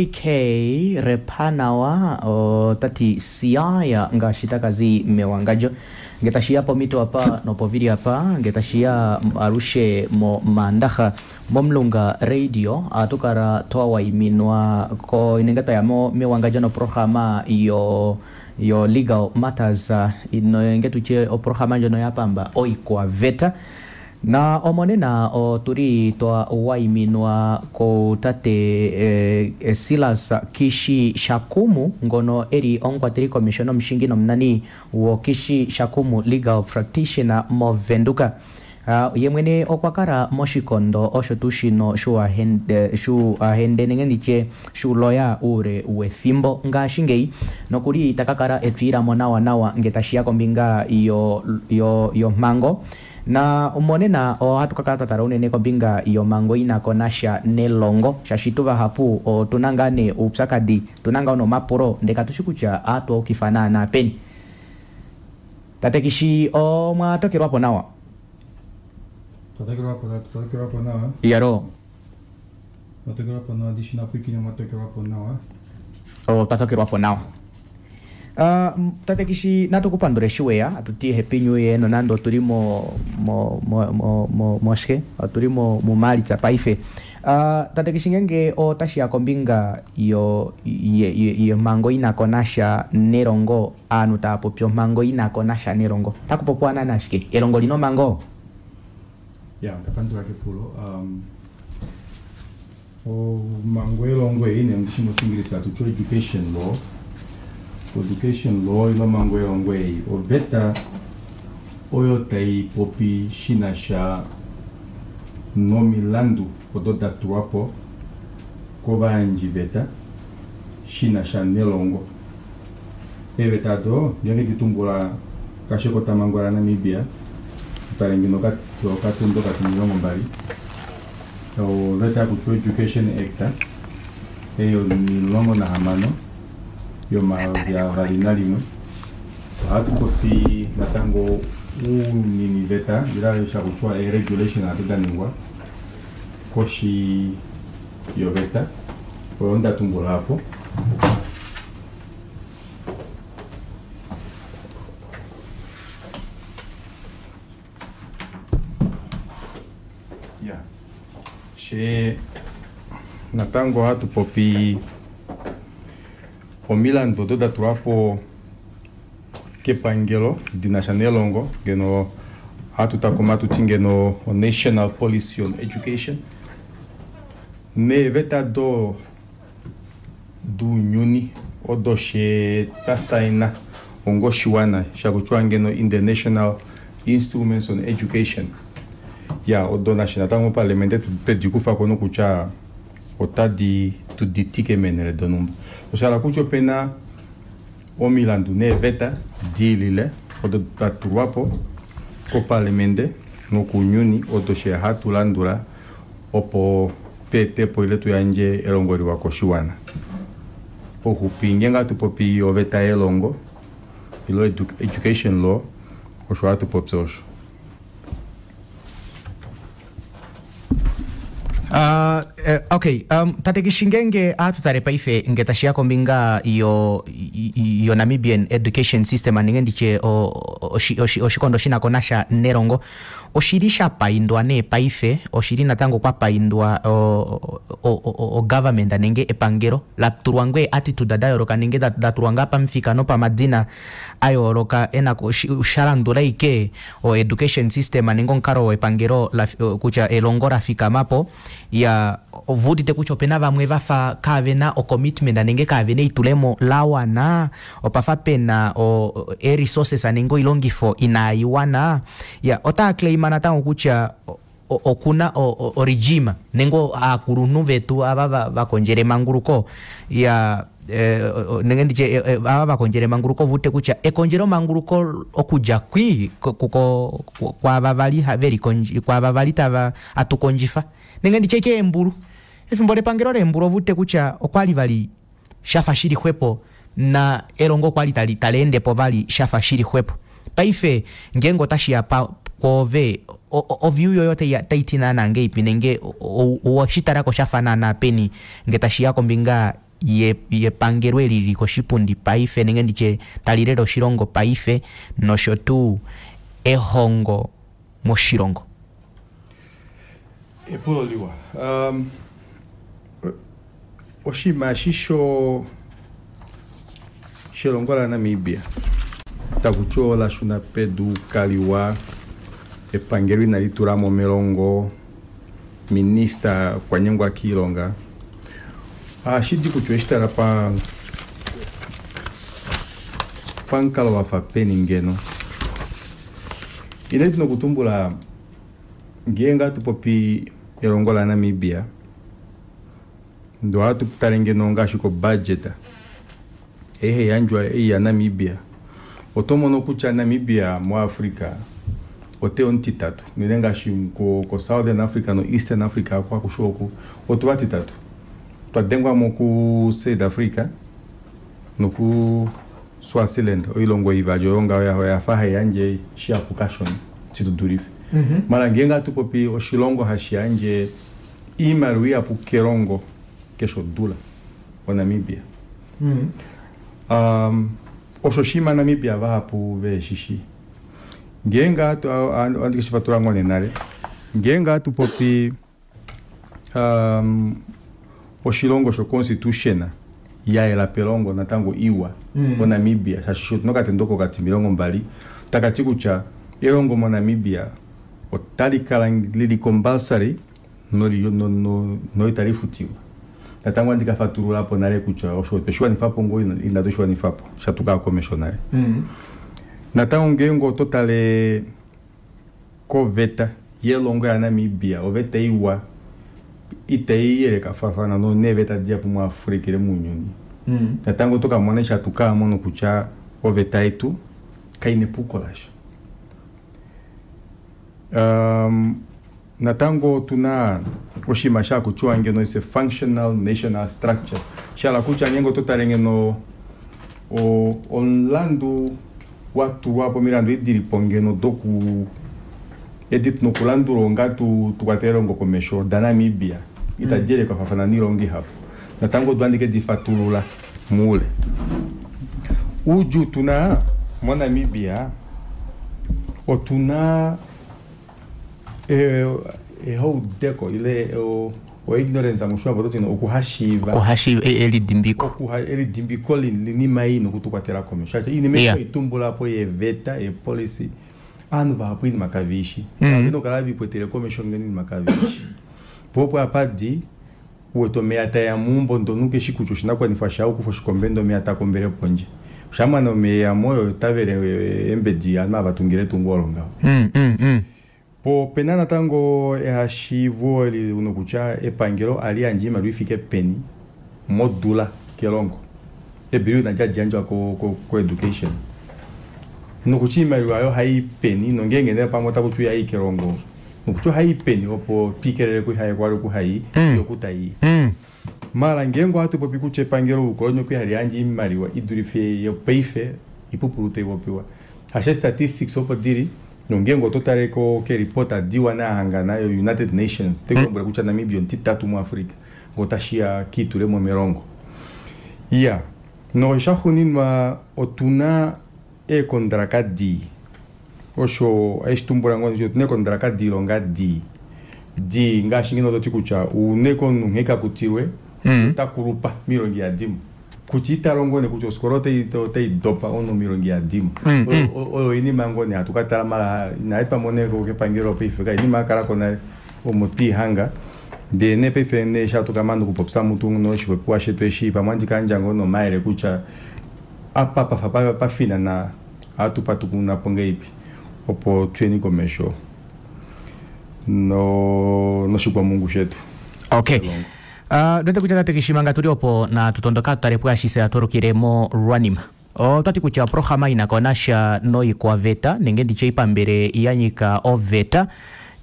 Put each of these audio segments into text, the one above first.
PK Repanawa ota ti Siaya ngaashi taka zi mewangandjo nge tashi ya pomito apa nopovili apa nge tashi ya alushe momaandaxa momulunga radio ohatu kala twa waiminwa ko nenge twaya mo mewangandjo noprograma yo yo legal matters nenge tutye oprograma ndjono ya pamba oikwaveta Na omonena otuli twa waiminwa ku tate Silas Kishi Shakumu ngono eli omukwateli komesho nomushingi nomunani wo Kishi Shakumu Legal Practitioner moVenduka. Ye mwene okwa kala moshikondo osho tuu shino shuuahende nenge nditye shuuloya uule wethimbo ngaashingeyi nokuli ta ka kala etwiilamo nawa nawa nge tashiya kombinga yomhango. Na monena ohatu ka kala twa tala unene kombinga yomhango i na ko nasha nelongo, shaashi tu vahapu otu na ngaa nee oupyakadi, otu na ngaa nee omapulo ndee katu shi kutya ohatu a ukifa naana peni. Tate Kishi omwa tokelwa po nawa? Twa tokelwa po, twa tokelwa po nawa. Iyaloo. Mwa tokelwa po nawa, ndishi napwiikine mwa tokelwa po nawa. Otwa tokelwa po nawa. Tate Kishi natu ku pandule eshi weya, atu ti happy new year nonande otuli mo mo mo mo moshike otuli mo muMaalitsa paife. Tate Kishi ngeenge otashi ya kombinga yo yomhango ina ko nasha nelongo, ovanhu tava popi omhango ina ko nasha nelongo, otaku popiwa naana shike? Elongo olina omhango? Ya, onda pandula kepulo. Um, Omhango yelongo ei nee ndishi mOshiingilisa hatu ti oeducation law. Oeducation law ile omhango yelongo ei oveta oyo tai popi shi na sha nomilandu odo da tulwa po kovayandjiveta shi na sha nelongo. Eeveta odo ngeenge di tumbula ngaashi ekotamhango laNamibia, tale ngeno okatendo okatimilongo mbali, Oveta yakutiwa Education Act ei 16 yo2021, ohatu popi natango ouniniveta ile shakutiwa ee-regulation ado da ningwa koshi yoveta oyo nda tumbula apo. Ya, she natango ohatu popi omilandu odo da tulwa po kepangelo di na sha nelongo ngeno ohatu takuma hatu ti ngeno o-National Policy on Education neeveta do dounyuni odo she twa saina onga oshiwana shakutiwa ngeno International Instruments on Education ya odo nashe natango mopaliamente twedi kufa ko nokutya otadi tu ditike meenhele donhumba. Osha hala kutya opena omilandu neeveta diilile odo da tulwa po kopaliamente nokounyuni odo she hatu landula opo tu ete po ile tu yandje elongo liwa koshiwana. Pauxupi ngeenge ohatu popi oveta yelongo ile education law osho hatu popi osho. Uh, okay um, tate Kishi ngeenge ohatu tale paife nge tashi ya kombinga yo yo Namibian education system nenge nditye oshikondo shi na ko nasha nelongo Oshi li sha paindwa nee paife, oshi li natango kwa paindwa o government nenge epangelo la tulwa ngoo ee attitude da yooloka nenge da tulwa ngaa pamufika nopamadina a yooloka ena sha landula ashike o education system nenge omukalo wepangelo kutya elongo la fikama po. Iyaa, ove udite kutya opena vamwe vafa kaavena o commitment nenge kaavena eitulemo lawana, opafa pena o ee resources nenge oilongifo inaiwana. Iyaa, otaa claima natango kutya okuna o regime nenge aakulunhu vetu ava vakondjela emanguluko, iyaa nenge nditye ava vakondjela emanguluko ove udite kutya ekondjelo manguluko okudja kwii kwaava vali kwaava vali tava atukondjifa nenge nditye keembulu efimbo lepangelo leembulu ove udite kutya okwali vali shafa shili xwepo na elongo okwali tali taleendepo vali shafa shili xwepo paife ngeenge otashiya kwoove o view yoye otaiti naana ngahelipi nenge oweshitalako shafa naana peni ngee tashiya kombinga Yepangelo eli lili koshipundi paife nenge nditye tali lele oshilongo paife nosho tuu ehongo moshilongo? Epulo liwa. Um, oshinima eshi sho shelongo laNamibia taku ti ola shuna pedu kaliwa, epangelo inali tula mo melongo, minista okwa nyengwa kiilonga. Ohashi di kutya oweshi tala pa pamukalo wa fa peni ngeno. Inatu nokutumbula ngeenge hatu popi elongo laNamibia ndee ohatu tale ngeno ngaashi ko budget ei haiyandjwa ei yaNamibia, oto mono kutya Namibia muAfrica ote omutitatu unene ngaashi ko Southern Africa no Eastern Africa aku akushe oku otu vatitatu twa dengwamo ku South Africa noku Swaziland oilongo ivali oyo ngaho oyafa haiyandje shihapu kashona shitudulife. Maala ngeenge hatu popi oshilongo hashi yandje iimaliwa ihapu kelongo keshe odula oNamibia. Osho oshinima Namibia vahapu veheshishi. Ngeenge hatu ohandi keshi fatulula ngoo nee nale, ngeenge hatu popi oshilongo sho constitution ya yela pelongo natango iwa moNamibia shaashi otuna okatendo kokati 20 takati kutya elongo moNamibia otali kala lili compulsory no itali futiwa. Natango ohandi ka fatululapo nale kutya osho otwe shiwanifapo ngoo inatu shiwanifapo shatuka komesho nale. Natango ngeenge oto tale koveta yelongo yaNamibia oveta iwa itai yelekafafana neeveta dihapu muAfrica ile mounyuni. Natango oto kamona eshi hatu kamono kutya oveta yetu kaina epuko lasha. Natango otuna oshinima shakutiwa ngeno is a functional national structures, shahala kutya ngeenge oto tale ngeno omulandu watulwapo omilandu edi dilipo ngeno doku edi tuna okulandula onga tukwatele elongo komesho daNamibia itadi yelekafafana noilongo ihapu. Natango odo handi kedi fatulula moule. Oudjuu tuna moNamibia otuna ehaudeko ile o ignorance moshiwambo ototi okuhashiiva, okuhashiiva elidimbiko, elidimbiko linima ei nokutukwatela komesho shaashi oinima ei toitumbulapo yeeveta yeepolicy ovanhu vahapu oinima kaveishi mm. Nokala vikwetele komesho ngeno oinima kaveishi po opo apadi uwete omeya taeya meumbo ndee omunhu keshi kutya oshinakuwanifwa shaye okukufa oshikombe ndee omeya takombele pondje oshamana omeya eyamo oyo otavele eembedi ovanhu ava vatungile etungo olo ngaho. Po opena natango ehashiivo eli nokutya epangelo ohali yandje oimaliwa ifike peni modula kelongo. Ebillion adi hadi yandjwa ko education nokutya oimaliwa aayo ohai peni nongeenge nee pamwe otaku tiwa ihai kelongo nokutya ohai peni opo twiikelele kuhaye kwali oku hai fiyo oku tai. Maala ngeenge ohatu popi kutya epangelo oukoloni okwali hali yandje oimaliwa idulife yopaife oipupulu taipopiwa. Hasho statistics opo dili nongeenge oto tale ko keereport diwa nahangana yo United Nations otai kulombwele kutya Namibia omutitatu muAfrica ngee otashiya kiitulemo melongo. Iya, noshaxuuninwa otuna eekondraka dii osho hashi tumbula ngoo otuna eekondraka diilonga dii dii ngaashi ngeno toti kutya une komunhu nghee kakutilwe ota kulupa miilonga ihadimo kutya ita longo nee kutya ofikola otai dopa omunhu miilonga ihadimo. Oyo oinima ngoo nee hatu katala maala inaetwa mo nee kepangelo paife oinima yakalako nale omo twiihanga ndee nee paife nee eshi hatu kamana okupopya mutu noshipopiwa shetu eshi pamwe ohandi kayandja ngoo nomayele kutya apa pafa pafinana ohatu patukunapo ngahelipi opo tuyeni komesho noshikwamungu shetu. Okay. Ndwete kutya tate Kishi manga tuli opo natu tondoka tutale pwaashishe atwalukile mo lwanima. Otwati kutya oprograma ina ko nasha noikwaveta nenge nditye oipambele ya nyika oveta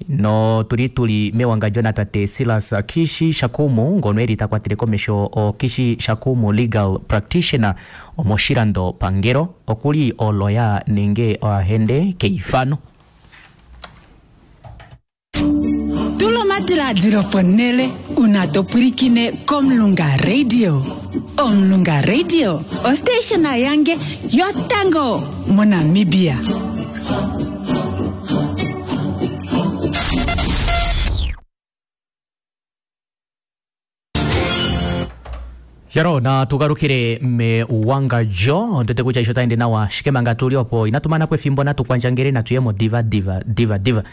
notuli tuli mewangadjo natate Silas Kishi Shakumu ngono eli ta kwatele komesho o Kishi Shakumu Legal Practitioner omoshilando pangelo okuli oloya nenge oahende keifano. Tula omadilaadilo ponhele. Una to pwilikine kOmulunga Radio. Omulunga Radio, ostationa yange yotango moNamibia. Yaro na tugalukile mewangandjo ndete kutya isho taende nawa shike manga tuli opo inatu mana po efimbo natu kwandjangele natu yemo diva diva diva diva.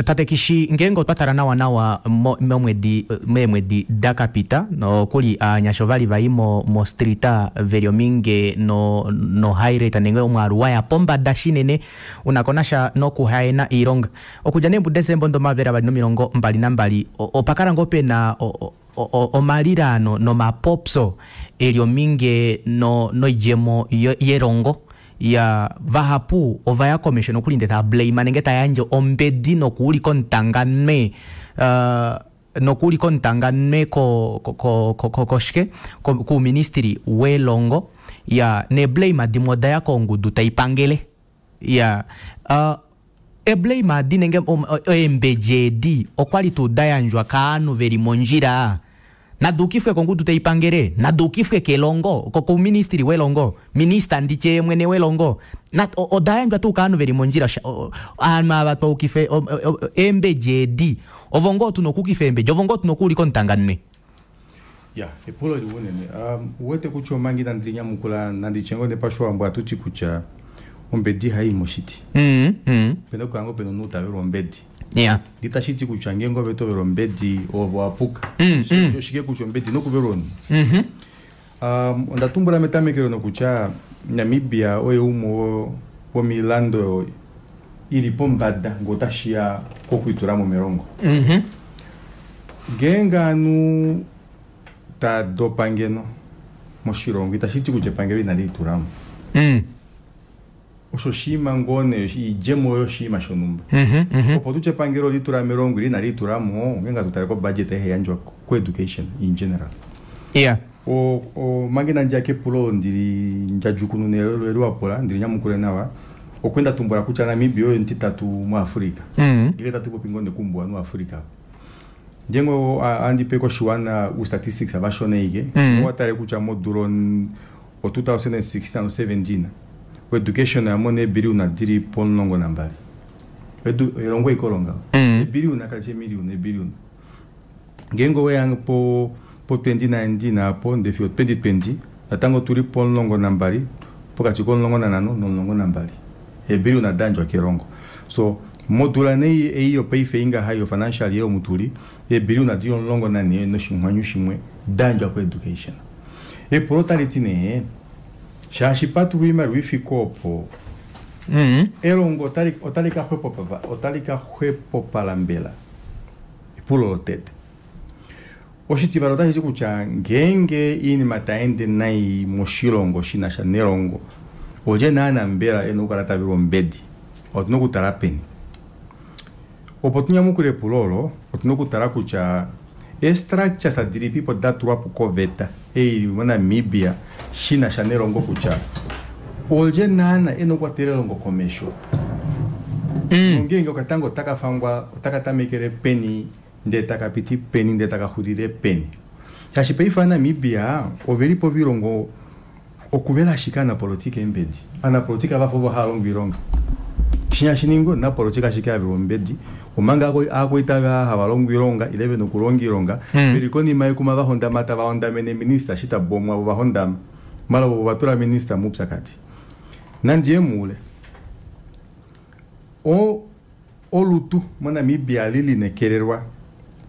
Tate Kishi, ngeenge otwa tala nawa nawa momwedi meemwedi da kapita nokuli aanyasha ovali vai mostrita veli ominge no, no high rate nenge omwaalu waya pombada shinene unako nasha nokuhaena iilonga. Okudja nee muDesemba 2022 opakala ngoo pena omalilano nomapopyo eli ominge noidjemo yelongo ya vahapu ovaya komesho nokuli ndee tava blame nenge tayandje ombedi nokuulika omutanganwe nokuulika omutanganwe koshike kuuministry welongo ya neeblame dimwe odaya kongudu taipangele ya eblame adi nenge eembedi edi okwali tuu dayandjwa kaanhu veli mondjila naduukifwe kongudu taipangele naduukifwe kelongo kouministry welongo minista nditye mwene welongo odayandjwa tuu kaanhu veli mondjila aanhu ava twaukife eembedi edi ovo ngoo tuna okuukifa eembedi ovo ngoo tuna okuulika omutanganwe. Ya, epulo liwa unene. Uwete kutya omanga inandi linyamukula nandi tye ngoo nee pashiwambo ohatuti kutya ombedi ihai moshiti. Opena okukala ngoo pena omunhu tavelwa ombedi. Itashi ti kutya ngeenge ove tovelwa ombedi ove owapuka. Oshike kutya ombedi ino kuvelwa omunhu. Onda tumbula metamekelo nokutya Namibia oye umwe womoilando ili pombada ngee otashiya kokwiitulamo melongo. Ngeenge ovanhu taa dopa ngeno moshilongo itashi ti kutya epangelo inali litulamo. Osho oshinima ngoo nee oidjemo yoshinima shonhumba. Opo tutye epangelo olitula melongo ile inali litulamo ngeenge hatu tale ko budget ei haiyandjwa ko education in general. Omanga inandiya kepulo olo ndili ndjadjukununa eli wapula ndili nyamukule nawa okwe nda tumbula kutya Namibia oye omutitatu muAfrica. Ngenge tatu popi ngoo nee koumbuwanhu waAfrica. Ngeenge ohandi pe koshiwana u-statistics vashona ashike owatale kutya modula o 2016 no 17 education oyamona eebiliyona dili po12. Elongo ashike olo ngaho. Eebiliyona kalishi eemiliyona eebiliyona. Ngeenge oweya po 2019 apo ndee fiyo 2020 natango otuli po12 pokati ko15 no12 eebiliyona dayandjwa kelongo. So modula nee ei yopaife ingaha yo financial year omu tuli eebiliyona dili 14 noshinghwanyu shimwe dayandjwa ko education. Epulo otaliti nee shaashi patulwa oimaliwa ifike opo elongo otali ka xwepopala mbela epulo lotete. Oshitivali otashi ti kutya ngeenge oinima taende nai moshilongo shinasha nelongo olye naana mbela ena okukala tavelwa ombedi otuna okutala peni. Opo tunyamukule epulo olo otuna okutala kutya eestructures dilipipo datulwapo koveta ei ili moNamibia shinasha nelongo kutya olye naana ena okukwatela elongo komesho. Nongeenge okatango otakafangwa otakatamekele peni ndee takapiti peni ndee takaxulile peni. Shaashi paife ovanamibia ovelipo ovilongo okuvela ashike anapolitika eembedi. Anapolitika vafa ovo hava longo oilonga. Shinya shiningi omunapolitika ashike avelwa ombedi omanga aakoita hava longo oilonga ile vena okulonga oilonga veli konima yekuma vahondama tava hondamene minista eshi tabomwa vo vahondama mala vo vatula minista moupyakadi. Nandiye muule olutu moNamibia lilinekelelwa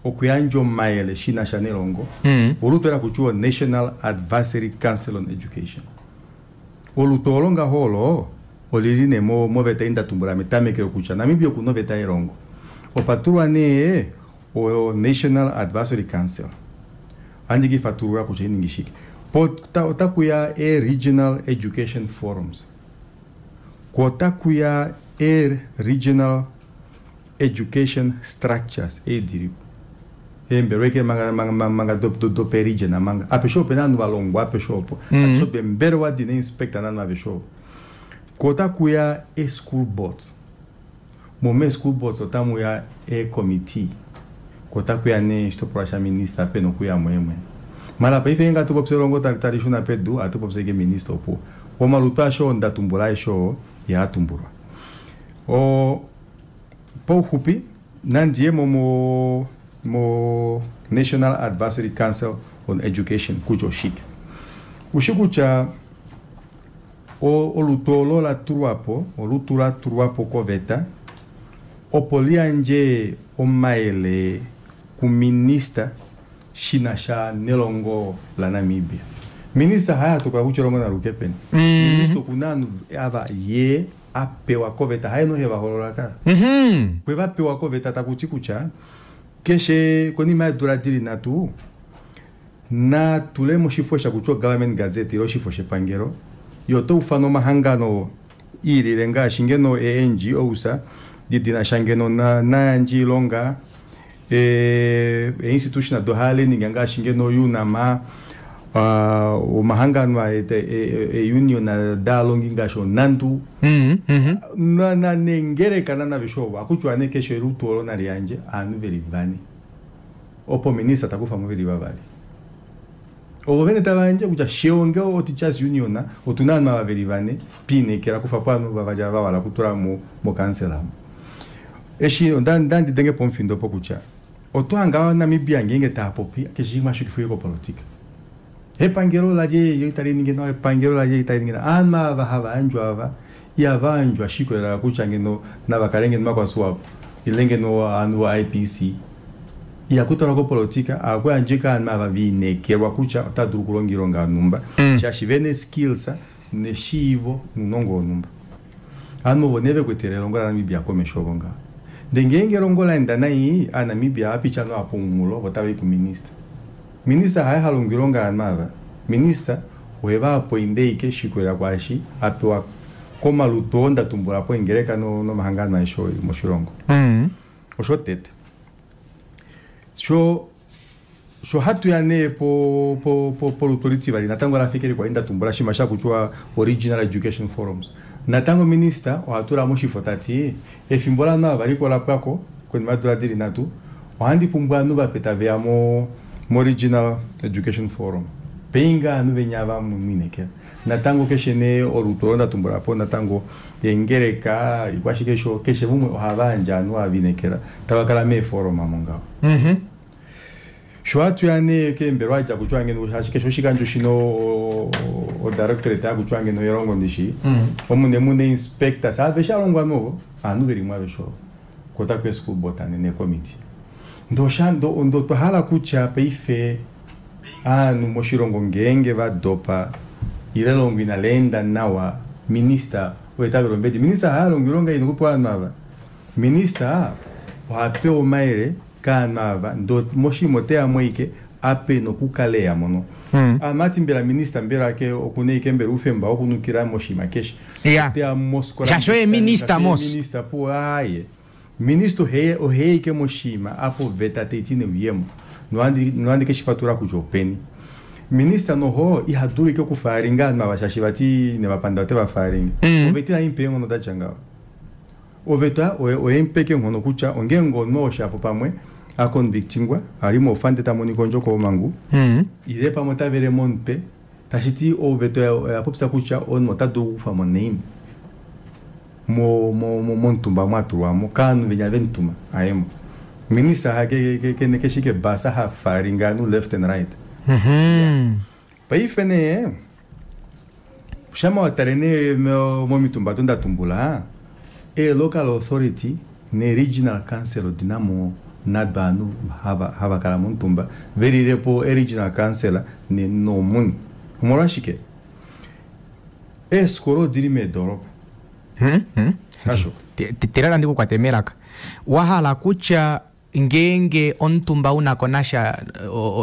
okuyandja omayele shinasha nelongo olutu ela kutya National Advisory Council on Education. Olutu olo ngaho olo olili nee moveta ei ndatumbula metamekelo kutya Namibia okuna oveta yelongo. Opatulwa nee o National Advisory Council. Ohandi kifatulula kutya oiningi shike. Po otakuya e Regional Education Forums. Ko otakuya e Regional Education Structures ei dilipo. Eembelwa ashike manga doperegion manga. Apeshe opena ovanhu valongwa apeshe opo. Apeshe opo eembelewa dina inspector novanhu aveshe ovo. Ko otakuya e school boards. Mo mee school boards otamuya e committee. Ko otakuya nee oshitopolwa shaminista pena okuyamo yemwene. Mala paife ngeenge hatu popi elongo tali shuna pedu, ohatu popi ashike minista opuwo. Omalutu aeshe oo nda tumbula aeshe oo ihaa tumbulwa. O pauxupi nandi ye mo mo mo National Advisory Council on Education kutya oshike. Ushi kutya o olutu olo la tulwa po, olutu la tulwa po koveta opo li yandje omayele kuminista shi na sha nelongo laNamibia. Minista haye a tokola kutya elongo nali uke peni. Minista oku na ovanhu ava ye a pewa koveta, haye nohe va hoolola kala. Okwe va pewa koveta taku ti kutya keshe konima yeedula di li nhatu na tule moshifo sha kutya oGovernment Gazette ile oshifo shepangelo, ye ota ufana omahangano iilile ngaashi ngeno ee-NGOs di dina sha ngeno nayandje oilonga, ee-institution do higher learning ngaashi ngeno UNAM, omahangano ee-union daalongi ngaashi oNANTU, neengeleka naveshe ovo. Ohakutiwa nee keshe olutu olo nali yandje ovanhu veli vane, opo minista takufa mo veli vavali. Ovo vene tava yandje kutya she onge o Teachers Union otuna ovanhu ava veli vane twiinekela kufa po ovanhu vavali ava vahala okutula mo council omu. Eshi onda ndi denge pomufindo opo kutya oto hanga Namibia ngeenge taapopi keshe shimwe hashi kopolitika. Epangelo lalye itali ningi nawa, epangelo lalye itali ningi nawa. Ovanhu ava hava yandjwa ava ihava yandjwa shi ikolelela kutya ngeno nava kale ngeno makwasuapo ile ngeno ovanhu vo IPC. Ihaku talwa kopolitika, ohaku yandjwa ashike ovanhu ava viinekelwa kutya otava dulu okulonga oilonga yonhumba shaashi vena skills neshiivo nounongo wonhumba. Ovanhu ovo nee vekwetele elongo laNamibia komesho ovo ngaho. Ndee ngeenge elongo laenda nai, aaNamibia ohava piti ovanhu ava pomunghulo vo otava i kuminista. Minista haye ha longo oilonga yovanhu ava. Minista oheva apoinde ashike shi ikolelela kwaashi a pewa komalutu oo nda tumbula po eengeleka nomahangano aeshe oo eli moshilongo. Osho tete. Sho sho hatu ya nee po po po polutu olitivali natango la fika likwali nda tumbula shima sha kutya Regional Education Forums. Natango minista oha tula moshifo tati efimbo lovanhu ava valiko la pwako konima yeedula dili nhatu ohandi pumbwa ovanhu vape taveya mo mo Regional Education Forum. Peinga ovanhu venya ava mwiinekela. Natango keshe nee olutu olo nda tumbula po natango eengeleka ikwashike sho keshe mumwe ohava yandje ovanhu ava viinekela tava kala meeforuma mongaho. Sho hatu ya nee keembelwa dja kutya ngeno shaashi keshe oshikandjo shino o directorate yakutya ngeno elongo ndishi omune mune inspectors aveshe alongwa novo ovanhu veli mo aveshe ovo kotaku school board necommittee. Ndo ndo twa hala kutya paife ovanhu moshilongo ngeenge va dopa ile elongo inali enda nawa minista oye ta vele ombedi. Minista haya longo oilonga ina okupewa ovanhu ava. Minista oha pewa omayele kaanhu ava ndo moshinima oteya mo ike ape nokukala eya mono. Amati mbela minista mbela ke okuna ike mbela oufemba wokunukila moshinima keshe. Oteya mosikola. Shaashi oye minista mos. Minista po aye. Minista oheya ike moshinima apo veta taiti neuyemo. Nohandi keshifatula kutya openi. Minista noho iha dulu ike okufaalinga ovanhu ava shaashi vati nevapanda ote vafaalinga. Oveta inaimupa eenghono datya ngaho. Oveta oyemupa ike eenghono kutya ongeenge omunhu oshapo pamwe a convictingwa ali mofande ta monika ondjo komangu ile pamwe ota vele momutwe tashiti oveta oya popya kutya omunhu ota dulu okukufwa mo naini momutumba mwatulwamo kaanhu venya vemutuma ayemo. Minista kene keshike basa ha faalinga ovanhu left and right. Paife nee shama watale nee momitumba odo nda tumbula e local authority ne regional council odina mo nado ovanhu hava kala momutumba velilepo e regional council nomuni. Omolwashike? Eefikola odili meedoropa. Hasho. Telela ndikukwate melaka. Wahala kutya ngeenge omutumba unako nasha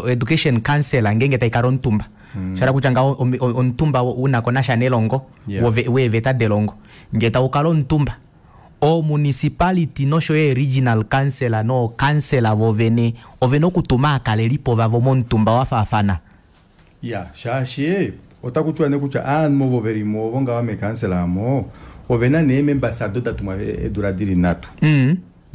education council ngeenge taikala omutumba shala kutya ngaho omutumba unako nasha nelongo weeveta delongo ngee taukala omutumba o municipality nosho yo regional council no council vovene ovena okutuma aakalelipo vavo momutumba wafaafana. Ya shaashi otaku tiwa nee kutya aanhu ovo velimo ovo ngaho mekansela amo ovena nee members ado datumwa eedula dili nhatu.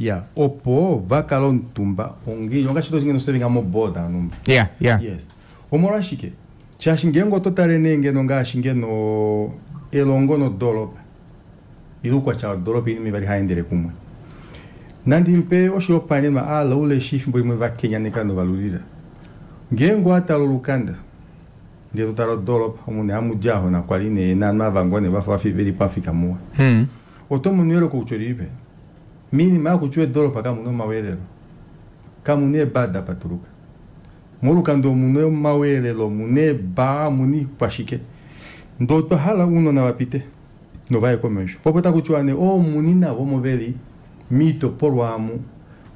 Ya, opo vakale omutumba ongiili ongaashi toshi ngeno sevinga moboard anumba. Yeah, yeah. Yes. Omolwashike? Shaashi ngeenge oto tale nee ngeno ngaashi ngeno elongo nodoropa ile oukwatya wodoropa oinima ivali haendele kumwe. Nandi mupe oshihopaenenwa aalaule eshi efimbo limwe vakenyaneka novalulila. Ngeenge owatala olukanda ndee totala odoropa omu nee hamudi ahona kwali nee naanhu ava ngoo nee vafa veli pamufika muwa. Oto mono eyoloko kutya olilipi? Miinima yakutya eedoropa kamuna omaweelelo, kamuna eebaa dapatuluka. Molukanda omuna omaweelelo, omuna eebaa, omuna ikwashike. Ndee otwa hala ounona vapite novaye komesho. Popo takutiwa nee oomuni navo omo veli miitopolwa amu.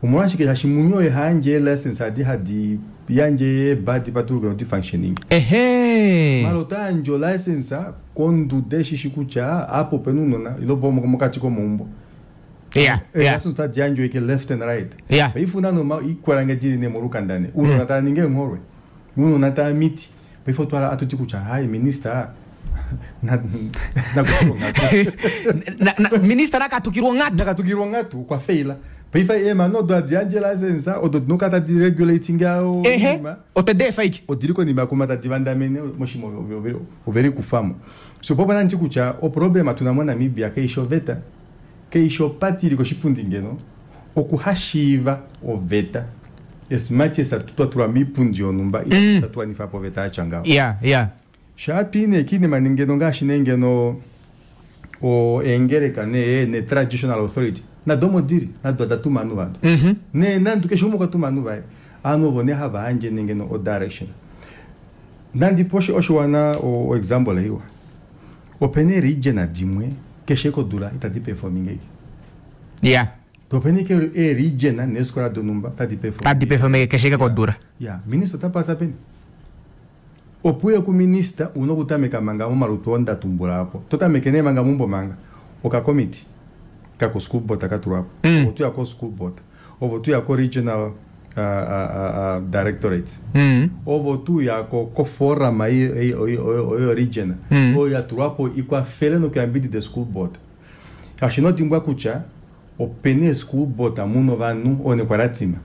Omolwashike? Shaashi muni oye hayandje eelicense adi hadi yandje eebaa dipatuluke nodi functioning. Ehe. Mala ota yandje olicense konduda eshishi kutya apa opena ounona ile mokati komaumbo. Yeah, yeah. Elicense otadi yandjwa ike left and right. Yeah. Paife una noma ikwalange dili ne molukanda ne. Ounona tava ningi eengholwe. Ounona tava miti. Paife otwala atuti kutya hai minister Minister nakatukilwa onghatu. Nakatukilwa onghatu okwa faila. Paife eemano odo hadi yandje license odo dina okukala tadi regulating Ehe, otwe deefa ike. Odili konima kuma tadi vandamene moshima oveli kufamo. So popo nanditi kutya oproblema tuna moNamibia kaishi oveta, kaishi opati ili koshipundi ngeno okuhashiiva oveta as much as twa tulwa miipundi yonhumba itatu wanifa po oveta yatya ngaho. Yeah, yeah. Shaatwi nee kiinima ngeno ngaashi nee ngeno eengeleka nee ne traditional authority nado omo dili nado oda tuma ovanhu vado. Nee nandu keshe umwe okwa tuma ovanhu vaye. Ovanhu ovo nee hava yandje nee ngeno o direction. Nandi po oshiwana o example iwa. Opena ee-region dimwe keshe kodula itadi performing eke. Yeah. Opena ike ee-region neefikola donhumba tadi perform. Tadi perform keshe ke kodula. Ya, minister ota pasa peni? Opo uye kuminista una okutameka manga momalutu oo ndatumbula apo. Totameke nee manga meumbo manga. Okakomiti kako school board katulwapo. Ovo tuya ko school board. Ovo tuya ko regional directorate. Ovo tuya ko forum oyo region. Oyo yatulwapo ikwafele nokuyambidida school board. Shaashi inodimbwa kutya opena school board muna ovanhu oo nekwalatima.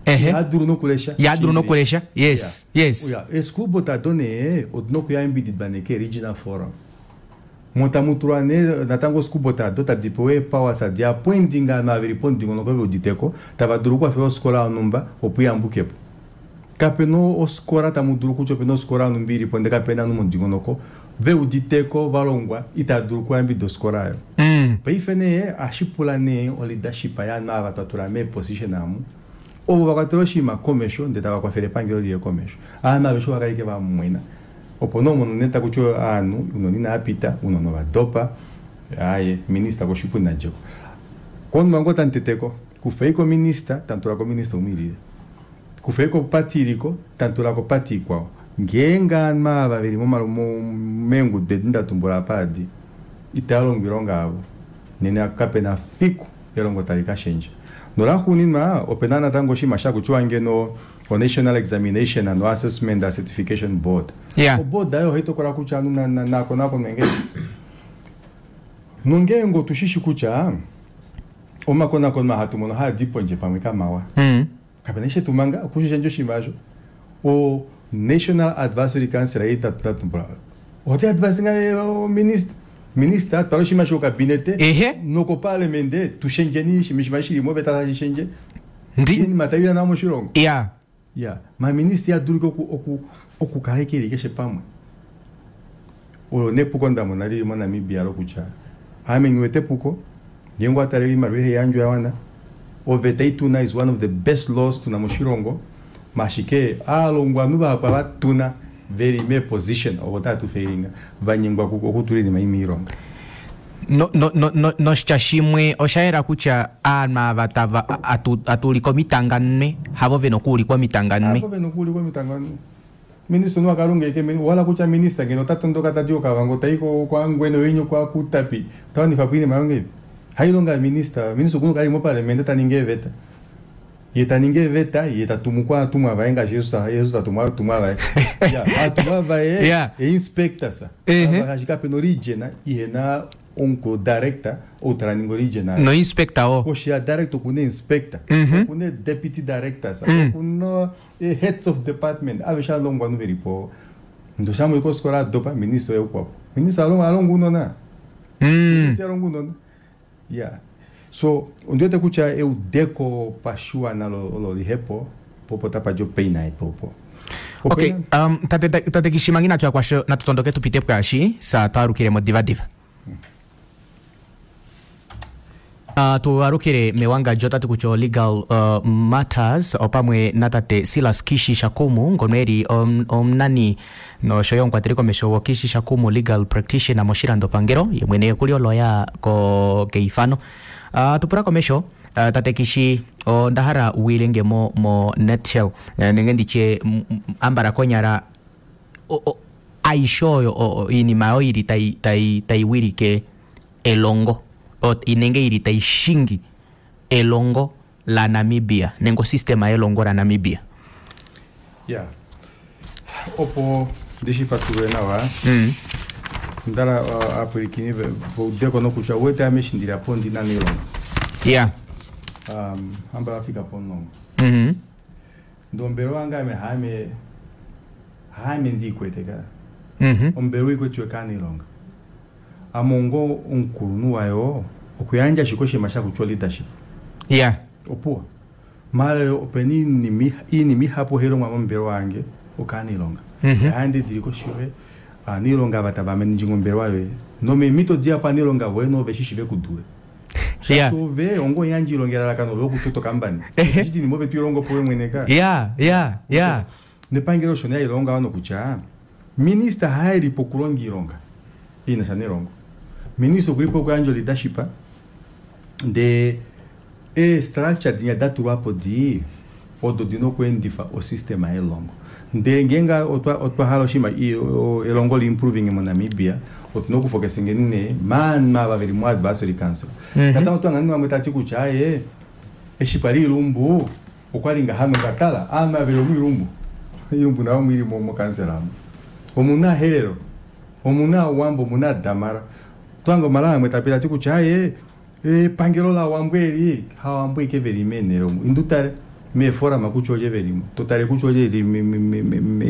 Ehe. Yadulu nokulesha. Yadulu nokulesha. Yes, yes. Yeah. E school board ado nee odina okuyambididwa nee ke regional forum. Mo tamu tulwa nee natango school board ado tadi pewa eepowers adi appointing ovanhu ava veli pomudingonoko veuditeko tava dulu okukwafela ofikola yonhumba opo iyambukepo. Kapena ofikola tamu dulu kutya opena ofikola yonhumba ilipo ndee kapena ovanhu momudingonoko veuditeko valongwa itava dulu okuyambidida ofikola oyo. Paife nee ohashi pula nee o leadership yaanhu ava twa tula meeposition amu ovo vakwatela oshinima komesho ndee tava kwafele epangelo liye komesho. Ovanhu aveshe ovakala ike vamwena. Opo nee omono nee takutiwa ovanhu ounona inavapita, ounona ovadopa, aaye minister koshipundi nadjeko. Konima ngoo tamuteteko, kufeiko minister tamutulako minister umwe ilile. Kufeiko party iliko tamutulako party ikwao. Ngeenge ovanhu ava veli meengudu edi ndatumbula apa adi itava longo oilonga yavo nena kapena fiku elongo tali kashendja. Nolaxuuninwa opena natango oshinima shakutiwa ngeno o National Examination and Assessment and Certification Board. Yeah. Oboard ayo ohai tokola kutya ovanhu nakonakonwe ngahelipi. Nongeenge otushishi kutya omakonakono hatu mono haadi pondje pamwe kamawa. Kapena eshi tumanga okushishendja oshinima osho. O National Advisory Council ei tatumbula. Ota advise nga minister. Minister twala oshinima sho cabinet. Ehe. Noko parliament tushendjeni oshinima shili mo veta tashi shendje. Ndi Iinima tayi nawa moshilongo. Yeah. Ya, ma minister yadulika okukala ike keshe pamwe. Olo nepuko ndamona lili moNamibia lokutya ame ngiwete epuko ngeenge watale oimaliwa ihe yandjwa yawana oveta ituna is one of the best laws tuna moshilongo mashike aalongwanhu vahapu ava tuna veli me position ovo tava tu failinga vanyengwa okutula oinima ei moilonga. No no no no noshitya shimwe osha yela kutya aanhu ava tava atuulika omitanganwe havo vena okuulikwa omitanganwe. Havo vena okuulikwa omitanganwe. Minister no akalunga ike wala kutya minister ngeno ota tondoka tadi Okavango tai kwa Ngweno yenyu kwa Kutapi tawanifa po iinima yonge hailonga ya minister. Minister okuna kali moparliament ta ningi eveta ye ta ningi eveta ye ta tumu kwa atumwa vaye ngaashi Jesus Jesus atumwa atumwa vaye ya atumwa vaye Yeah. e inspector sa Ehe. ngaashi kapena region ihena omukulu director ou tala ningi regional No inspector wo. Koshi ya director okuna inspector, okuna deputy directors, okuna heads of department, aveshe alongwanhu velipo. Ndoshamwe kofikola adopa minister oye ukwapo. Minister alonga alonga unona. Minister alonga unona. Yeah. So ondiwete kutya eudeko pashiwana olo lihepo popo tapa dja opeina epo opo. Okay, tate tate Kishimangi natu yakwasho natu tondoke tupite pwaashi sa twalukilemo divadiva. Tualukile mewangadjo otati kutya legal matters opamwe natate Silas Kishi Shakumu ngono eli omunani noshoyo omukwateli komesho wo Kishi Shakumu legal practitioner moshilandopangelo ye mwene okuli oloya ko keifano. Tupula komesho tate Kishi onda hala wiilenge mo mo nutshell nenge nditye ambala konyala aishe oyo iinima oyo ili tai tai tai wilike elongo nenge ili tai shingi elongo la Namibia nenge osystema yelongo la Namibia. Yeah. Opo ndishi fatulule nawa. Ndala apwilikini vaudeko nokutya uwete ame eshi ndili apa ondina neilonga. Hamba vafika pomulongo. Ndee ombelewa yange ame haame haame ndiikwete ka. Ombelewa ikwetiwe kaanailonga. Ame ongo omukulunhu wayo okuyandja ashike oshinima shakutya leadership. Opuwo. Maala opena iinima ihapu hailongwa mombelewa yange okaanailonga. Ohandi dili koshi yoye aniilonga ava tava managing ombelewa yoye nomeemhito dihapu aniilonga voye noo veshishi vekudule. Shaashi ove onga omuyandji ilonga elalakano loye okutota okambani. Eshi inima ove toilongo po mwene ka. Nepangelo osho nee halilongo ngaho nokutya minista haelipo okulonga iilonga inasha nelongo. Minista okulipo okuyandja leadership ndee ee-structure dinya datulwapo di odo dina okuendifa osystema yelongo. Ndee ngeenge otwa hala oshinima elongo li improving moNamibia otuna okufocusingeni nee maanhu ava veli mo advisory council. Natango otwahanga vamwe tati kutya aaye eshi kwali Ilumbu okwali ngaha nongatala aanhu ava veli omuIlumbu Ilumbu nayo omwili mokansela amu. Omuna Herero, omuna Owambo, omuna Damara. Otwahanga omala amwe tapita tati kutya aaye epangelo laWambo eli hawambo ike veli meenhele omu. Indu tale meeforama kutya olye velimo, totale kutya olye eli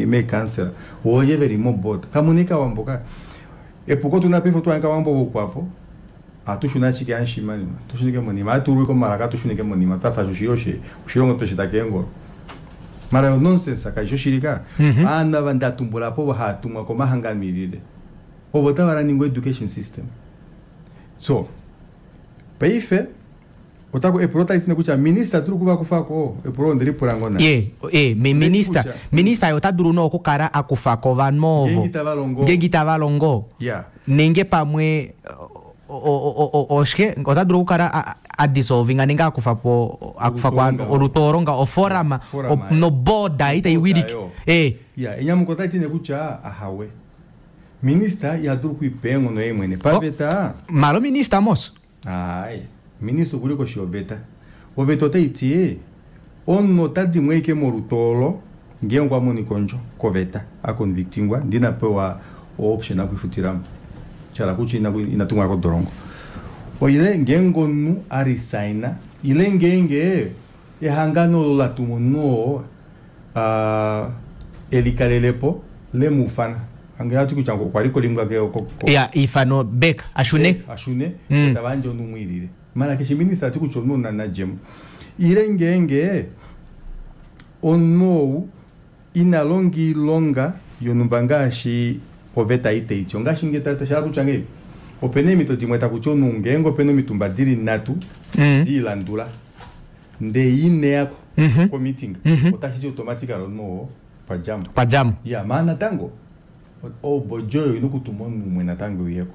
meekansela, olye veli moboard. Kamuna ike Awambo ka. Epuko tuna paife otwahange Awambo voukwapo ohatu shuna ashike hamushima tushunike monima, ohatu komalaka tushunike monima twafa oshilongo tweshita keengolo. Mara yo nonsense kaishi oshili ka. Aanhu ava ndatumbulapo ovo haatumwa komahangano ilile. Ovo tava running education system. So paife otako epulo tali ti kutya minista dulu kuvakufako epulo ondelipula ngoo naye. Ye minista Kutya- minista ye ota dulu nee okukala akufako ovanhu ovo Ngeenge itava longo. ngeenge itava longo nenge pamwe oshike ota dulu okukala a dissolvinga nenge akufapo akufako Olutoolonga. olutoolonga oforama Forama, noboda itaiwilike yo. Ya enyamuko otali ti nee kutya ahawe. Minista iha dulu okwiipa eenghono ye mwene paveta. Malo minista mos. Ai, minista okuli koshi yoveta. Oveta otai ti omunhu ota dimwe ike molutoolo ngeenge okwa monika ondjo koveta aconvictingwa ndee ina pewa option okwifutilamo. Shala kutya ina tumwa kodolongo. Ile ngeenge omunhu a resigna ile ngeenge ehangano olo la tuma omunhu oo elikalelepo lemufana. Ange ati kutya okwa li kolimwa ke ya ifano back ashune. Ashune tava yandje omunhu umwe ilile. Mara keshe minista ati kutya omunhu nadjemo. Ile ngeenge omunhu ou ina longa iilonga yonhumba ngaashi oveta itaiti. Ongaashi nge shala kutya ngei opena eemhito dimwe takuti omunhu ngeenge opena omitumba dili nhatu diilandula ndee ineyako komeeting otashi ti automatically omunhu oo pwadjamo. Pwadjamo. Ya maa natango oboard oyo ina okutuma omunhu umwe natango uyeko.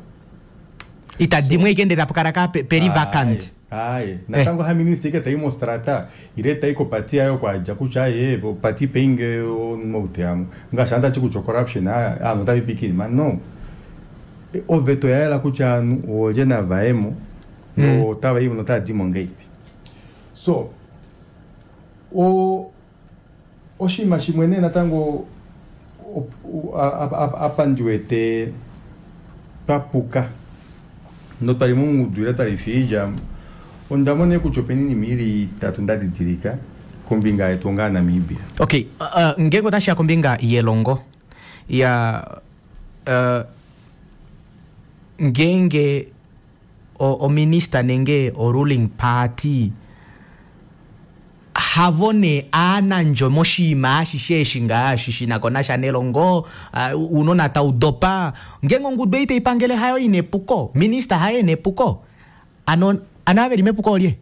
Itadimwe ike ndee tapukala ka peli vacant. Aye, natango ha minista ike tai mostrata ile tai kopati yayo kwadja kutya aye party paying omunhu ngaashi andati kutya corruption aanhu otavipikini ma no. Oveta oya yela kutya aanhu olye navayemo notava imo notava dimo ngeipi. So oshinima shimwe nee natango apa ndiwete twapuka. Notwali mongudu ile twali fiidja, onda mona kutya opena oinima ili itatu nda didilika kombinga yetu onga Namibia. Okay, ngeenge otashiya kombinga yelongo ya ngeenge ominister nenge o ruling party havo nee aanandjo moshinima ashishe eshi ngaashi shinako nasha nelongo, uunona tau dopa, ngeenge ongudu ei taipangele hayo ina epuko, minister haye ena epuko, ano ano ava veli mepuko olye?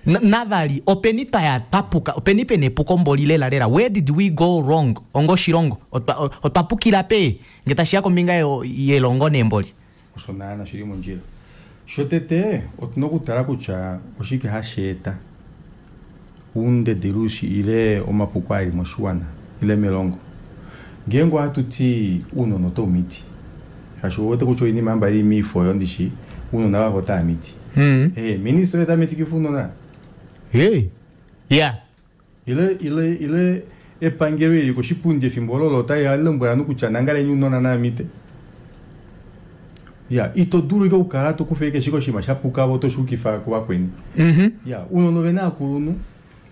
Navali openi twaya twapuka, openi pena epuko mboli lela lela, where did we go wrong onga oshilongo, otwa pukila pe ngee tashiya kombinga yelongo nee mboli? Osho naana shili mondjila. Shotete otuna okutala kutya oshike hashi eta oundederushi ile omapuko ali moshiwana ile melongo. Ngeenge ohatu ti uunona otau miti, shaashi ouwete kutya oinima amba ili miifo oyo ndishi uunona vavo otava miti. Minister oye ta mitikifa uunona. Hey. Yeah. Ile ile ile epangelo ili koshipundi efimbo olo otai lombwela ovanhu kutya nangaleni uunona naamite. Ya, ito dulu ike okukala to kufa ike shike oshinima sha puka vo toshuukifa kuvakweni. Ya, uunona ovena aakulunhu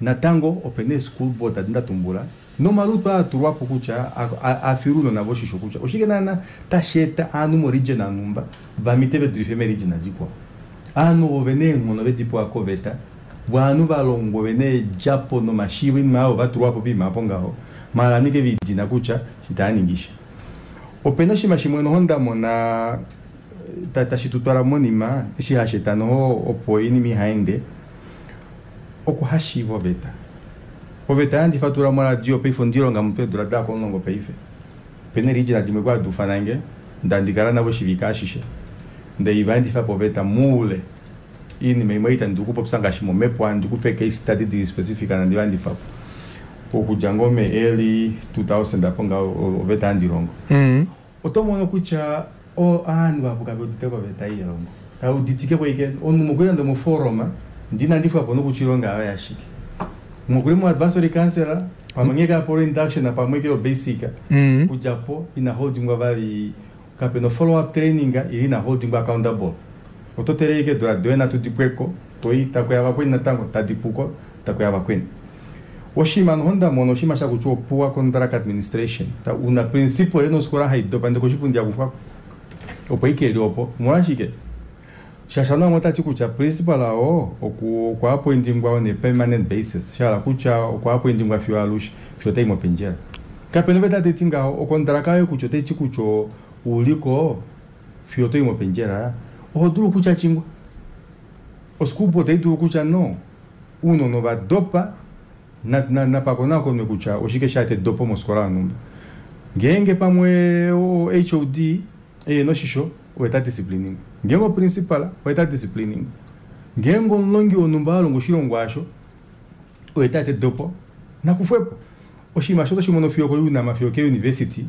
natango opena ee-school board adi ndatumbula nomalutu aa atulwapo kutya afile uunona voshisho kutya oshike naana tashi eta aanhu mo region anhumba vamite vedulife me-region adikwao. Aanhu ovo vena eenghono vedipewa koveta, vo aanhu valongwa vena eedjapo nomashiivo oinima oyo vatulwapo poima apo ngaho, maala nike veidina kutya itaaningi sha. Opena oshinima shimwe noho ndamona tashi tutwala monima eshi hashi eta noho opo oinima ihaende okuhashiiva oveta. Oveta yandifatula moradio paife ondilonga mutwe eedula daya komulongo paife. Opena ee-region dimwe kwa duufanange ndandikala navo oshivike ashishe ndee ivaendifapo oveta moule. Oinima imwe itandi dulu okupopya ngaashi momepo handi kufa case study dili specific nandi vaendifapo. Okudja ngoo me early 2000 apo ngaho oveta handilongo. Oto mono kutya ovanhu vahapu kave udite koveta ei yelongo. Kave uditike ko ike omunhu mokuli nande moforuma ndee inandifwapo nokutya oilonga yayo yashike. Mokuli mo advisory council pamwe ngee kapo induction pamwe ke yo basic kudjapo ina holdingwa vali kapena follow up training ili ina holdingwa accountable. Oto tele ike eedula doye nhatu dipweko toi takuya vakweni natango tadipuko takuya vakweni. Oshinima noho ndamona oshinima shakutya poor contract administration. Una principal ena ofikola haidopa ndee koshipundi akufwako opo ike eli opo. Omolwashike? Shaashi ovanhu vamwe otati kutya principal oo okwa appointingwa on a permanent basis, shahala kutya okwa appointingwa fiyo alushe fiyo otai mopendjela. Kapena oveta taiti ngaho, okontraka yoye kutya otaiti kutya uliko fiyo otai mopendjela, oho dulu kutya chingwa. Oschool board otai dulu kutya no, uunona ovadopa napakonakonwe kutya oshike shaeta edopo mofikola yonhumba. Ngeenge pamwe HOD ena oshisho oye ta disciplining, ngeenge oprincipal oye ta disciplining, ngeenge omulongi wonhumba alonga oshilongwa asho oye taeta edopo nakufwepo. Oshinima osho otoshi mono fiyo ko-UNAM fiyo ke-university,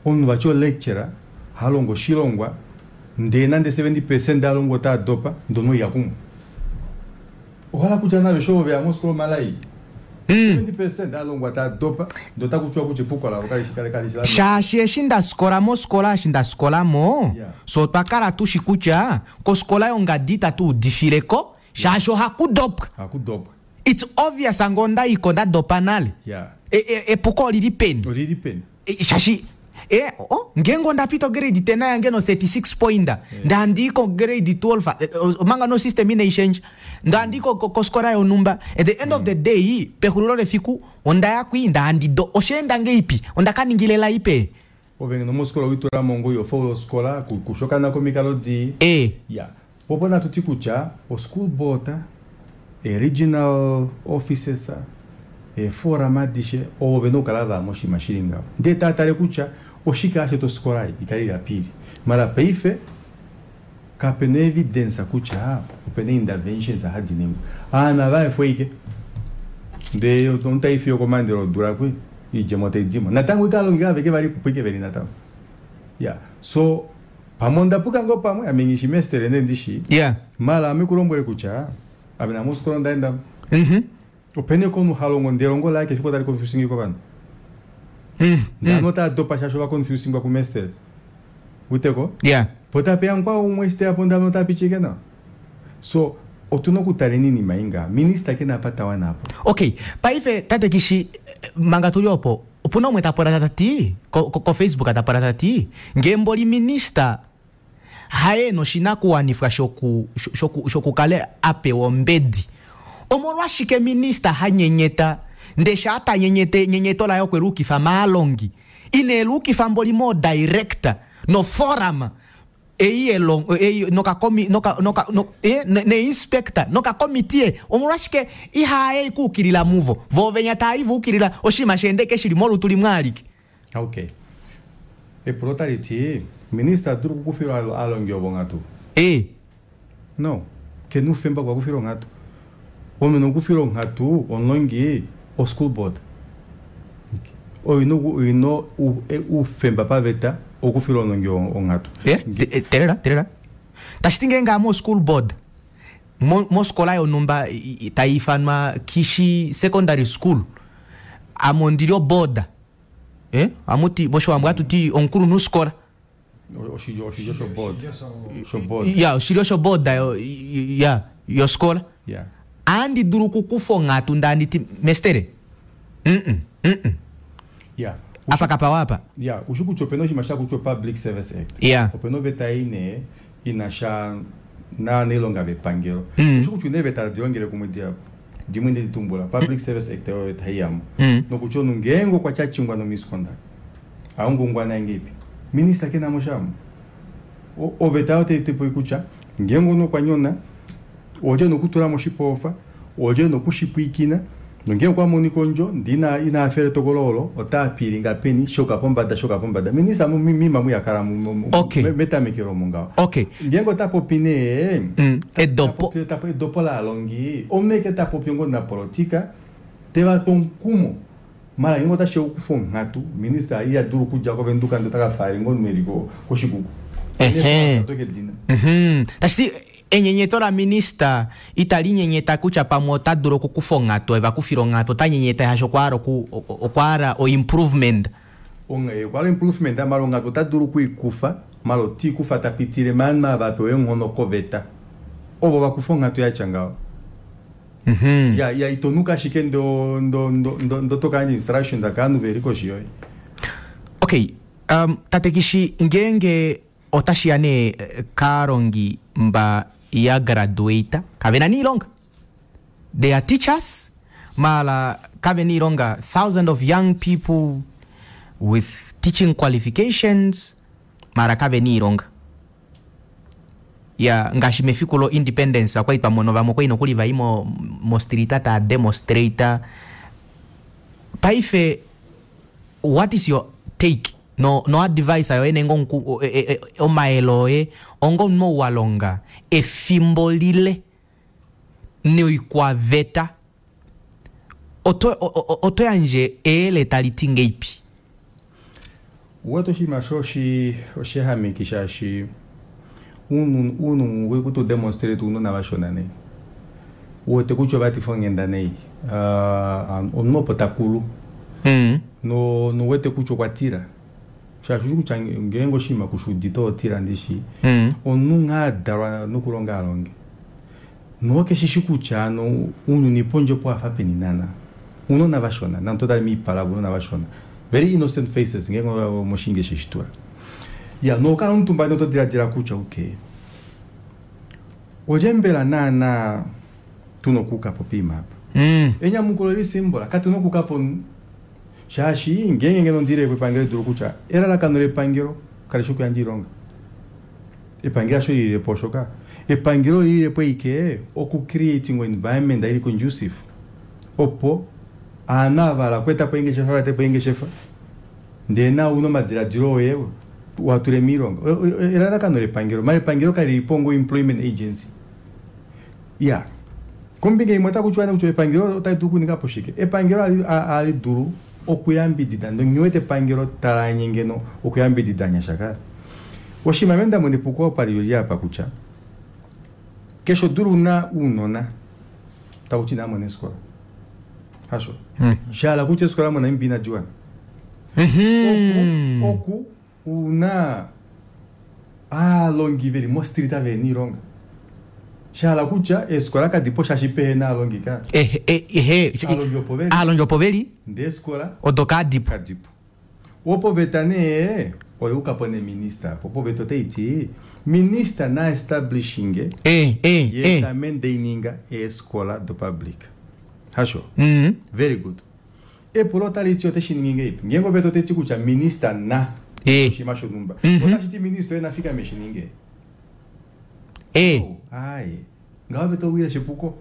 omunhu vati o-lecturer halongo oshilongwa ndee nande 70% alongwa otaa dopa ndee omunhu oiya kumwe. Ohala kutya naveshe ovo veya mofikola omalai 70% alongwa taa dopa ndee otakutiwa kutya epuko lavo kalishi la Shaashi eshi ndafikola mofikola eshi ndafikolamo so otwa kala tushi kutya kofikola yongadi itatu udifileko shaashi ohakudopwa. Hakudopwa. It's obvious ngee ondaiko ndadopa nale. Epuko olili peni? Olili peni? Shaashi ngeenge ondapita ograde 10 yange no 36 point, ndee handii ko grade 12 omanga no system inaishendja, ndee handii kofikola yonhumba, at the end of the day pexulilo lefiku ondaya kwii ndee handi do oshaenda ngeipi, ondakaningila elai pe? Ove ngeno mofikola owitulamo ngoo ihofaula ofikola kushokana komikalo dii. Ya, popo natuti kutya o-school board, e-regional offices, eeforum adishe ovo vena okukala vaya moshinima shili ngaho ndee taatale kutya oshike hashi eta ofikola ei ikale ili apa ili. Mara paife kapena evidence kutya opena interventions hadi ningwa. Ovanhu ava ike ndee omunhu tai fiyo komandelo odula kwi oidjemo taidimo natango ike alongi aveke valipo ike veli natango. Ya, so pamwe ondapuka ngoo pamwe ame nghishi mestere ndee ndishi mara ame kulombwele kutya ame name ofikola ondaendamo. Opena ike omunhu halongo ndee elongo laye keshe tali confusing kovanhu. Ndee ovanhu otava dopa shaashi ova confusingwa kumestere. Uteko? Yeah. Po tapeya mukwao umwe eshi teya po ndalo ota pichike nawa. So otuna okutaleni iinima ei ngaha. Minister kena apa ta wana apo. Okay, paife tate Kishi manga tuli opo, opuna umwe ta pula ta ti ko, ko, ko Facebook ta pula ta ti ngee mboli minister haye ena oshinakuwanifwa shoku shoku shokukala a pewa ombedi, omolwashike minister ha nyenyeta ndee shaa ta nyenyeta enyenyeto laye okwe luukifa maalongi ine luukifa mboli moo director no forum ei yelongo ei nokakomi noka noka no, eh, ne, ne inspector nokakomitiye omolwashike ihaye kuukilila muvo vo venya taayi va ukilila oshinima sheendeke shili molutu limwe alike. Okay. Epulo otali ti, Minista dulu okukufila aalongi ovo onghatu? Ee. No. Ke na oufemba okuvakufila onghatu. Omunhu ena okukufila onghatu omulongi o school board. Oyo ina oyo ina oufemba paveta okukufila omulongi onghatu. Eh, telela, telela. Tashi ti ngeenge ame o school board mo mofikola yonhumba tai ifanwa Kishi Secondary School, ame ondi li oboard. Eh, ohamu ti moshiwambo ohatu ti omukulunhufikola. Oshilyo oshilyo shoboard. Shoboard. Ya, oshilyo shoboard yo ya yofikola. Ya. Ohandi dulu okukufa onghatu ndee handi ti mestere, mm mm. Ya. Apa kapawa apa. Ya, ushi kutya opena oshinima sha kutya Public Service Act. Ya. Opena oveta ei nee ina sha naanailonga vepangelo. Ushi kutya una eeveta tadi longele kumwe dihapu. Dimwe nde di tumbula, Public Service Act oyo tai yamo. Nokutya omunhu ngeenge okwa tyachingwa no misconduct, aungaungwa naye ngeipi? Minister ke na mo sha mo. Oveta oyo otai ti kutya ngeenge omunhu okwa nyona, olye ena okutula mo oshipofa, olye ena okushipwiikina, nongeenge okwa monika ondjo ndee ina ina hafela etokolo olo, ota apiilinga peni, shoka pombada, shoka pombada. Minista moima omu iha kala Okay. metamekelo omu ngaho. Okay. Ngeenge ota popi nee, Edopo. ta popi edopo laalongi, omunhu ashike ta popi onga omunapolotika, te va tu omukumo. Maala ngeenge otashi ya okukufa onghatu, minista iha dulu okudja kOvenduka ndee ota ka faalela ngoo omunhu e li kOshikuku. Ehe. Oto ke dina. Tashi ti enyenyeto laminista itali nyenyeta kutya pamwe ota dulu okukufa onghatu, eva kufile onghatu, ota nyenyeta shaashi okwa hala oku, okwa hala o improvement. Onghee okwa hala improvement, maala onghatu ota dulu okuikufa, maala ota ikufa ta pitile maanhu ava a pewa eenghono koveta, ovo va kufa onghatu yatya ngaho. Ya, ya ito nuka ashike ndo, ndo, ndo, ndo, ndo to ka yandja instructions kaanhu veli koshi yoye. Okay, tate Kishi, ngeenge otashi ya nee kaalongi mba ya graduate, kave na niilonga. They are teachers, maala kave na iilonga. Thousand of young people with teaching qualifications, maala kave na iilonga. Ya, ngaashi mefiku lo independence okwali twa mono vamwe okwali nokuli vai mo, mostrita taa demonstrate. Paife, what is your take no, no advice yoye nenge omuku, e, e, e, omayele oye onga omunhu ou wa longa efimbo lile noikwaveta, oto, oto yandje eyele tali ti ngeipi? Uwete oshinima sho oshi oshihameki shaashi uunhu uunhu uri kuti udemonstrate uunona vashona nei uwete kutya ovatifa onghenda nei uh, omunhu opo takulu Mm. no nouwete kutya okwa tila shaashi ushi kutya ngeenge oshinima kushi udite oho tila ndishi Mm. omunhu nghaa adalwa nokulonga alonge nokeshishi kutya ano ounyuni pondje opo wafa peni naana ounona vashona nande otali miipala ounona vashona very innocent faces ngeenge moshinge sheshitura ya nokala omutumba noto diladila kutya okay olye mbela naana tuna okuuka po poima apa Enyamukulo li simbola, katu na okuuka po shaashi ngeenge ngeno ndi le po epangelo dulu kutya elalakano lepangelo kali shi okuyandja oilonga. Epangelo hasho lilile po oshoka epangelo olilile po ashike oku creating environment ili conducive opo aanhu ava hala okweeta po eengeshefa va ete po eengeshefa ndee nawe una omadiladilo oye wa tule miilonga. Elalakano lepangelo, maala epangelo kali li po onga employment agency. Ya, kombinga imwe otaku tiwa nee kutya epangelo otali dulu okuninga po shike? Epangelo ohali dulu okuyambidida ndee nghi wete epangelo tali anye ngeno okuyambidida ovanyasha kale. Oshinima ame nda mona epuko apa lili apa kutya keshe odula una ounona taku ti inava mona eefikola. Hasho? Sha hala kutya eefikola moNamibia inadi wana. Oku, oku una. Aalongi veli mostreet vena iilonga. Shahala kutya eesikola kadipo shaashi pehena aalongi ka. Ehe, ehe, Aalongi opo veli. Aalongi opo veli. Ndee eesikola odo kadipo. Kadipo. Opoveta nee oyuukapo nee minister apo. Opoveta otaiti minister na establishinge ye ta maintaininga eesikola do public. Hasho? Very good. Epulo otali ti ote shi ningi ngeipi? Ngeenge oveta otai ti kutya minister na oshinima shonhumba, otashi ti minister oye na fikame eshi ninge? Oh, aaye. Ngaho oveta owile shepuko.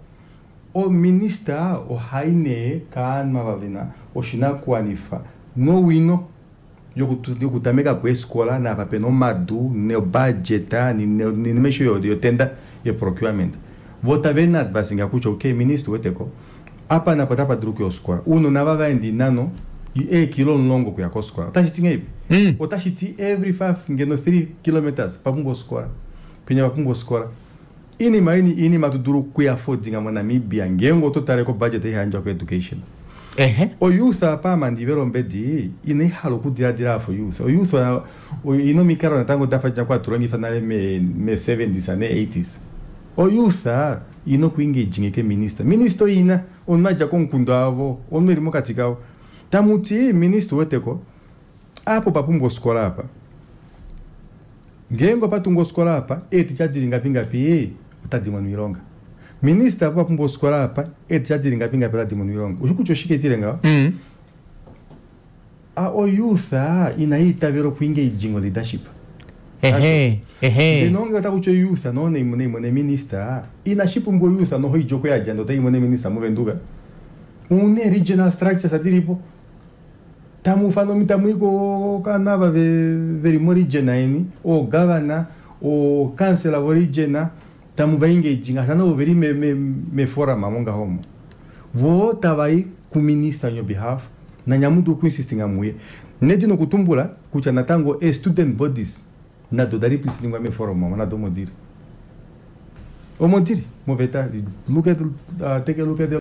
Ominister ohai nee kaanhu ava vena oshinakuwanifa nowino yokutameka po eefikola naapa pena omadu nobudget noinima aishe yotenda yeprocurement. Vo tave na advisinga kutya okay minister ouweteko apa napa otapa dulu okuya ofikola. Ounona ava vaenda oinano eekilo 10 okuya kofikola. Otashi ti ngahelipi? Otashi ti every 5 ngeno 3 kilometres pa pumbwa ofikola. Penya pa pumbwa ofikola. Oinima ei oinima hatu dulu okuyaffordinga moNamibia ngeenge oto tale ko budget ei hayandjwa ko education. Oyouth apa ama ndivele ombedi inai hala okudiladila afa oyouth. Oyouth oina omikalo natango dafa dja kwa tulongifa nale me 70s ne 80s. Oyouth ina okuengaging ke minister. Minister oina omunhu adja komukunda wavo, omunhu eli mokati kavo. Tamuti minister uweteko apa opa pumbwa ofikola apa. Ngeenge opa tungwa ofikola apa, eeticha dili ngapi ngapi otadi mono oilonga. Minister apa opa pumbwa ofikola apa, eeticha dili ngapi ngapi otadi mono oilonga. Ushi kutya oshike tile ngaho? A oyouth inai itavela oku engaging o leadership. Ehe, ehe. Ndele nonge ota kutya oyouth no naimone minister, inashi pumbwa oyouth noho idja oku yadja ndee otai mone minister moVenduka. Une regional structures dilipo. Tamu ufana omi tamu i kovanhu ava veli moregion yeni, oogavana, ookansela voregion, tamu va engage ngaashi naana ovo veli meforum omo ngaho omo. Voo tava i kuminister on your behalf nanye amu dulu okuinsistinga muye. Nedi nokutumbula kutya natango ee-student bodies nado oda representingwa meforum omo nado omo dili. Omo dili moveta. Look at, take a look at the.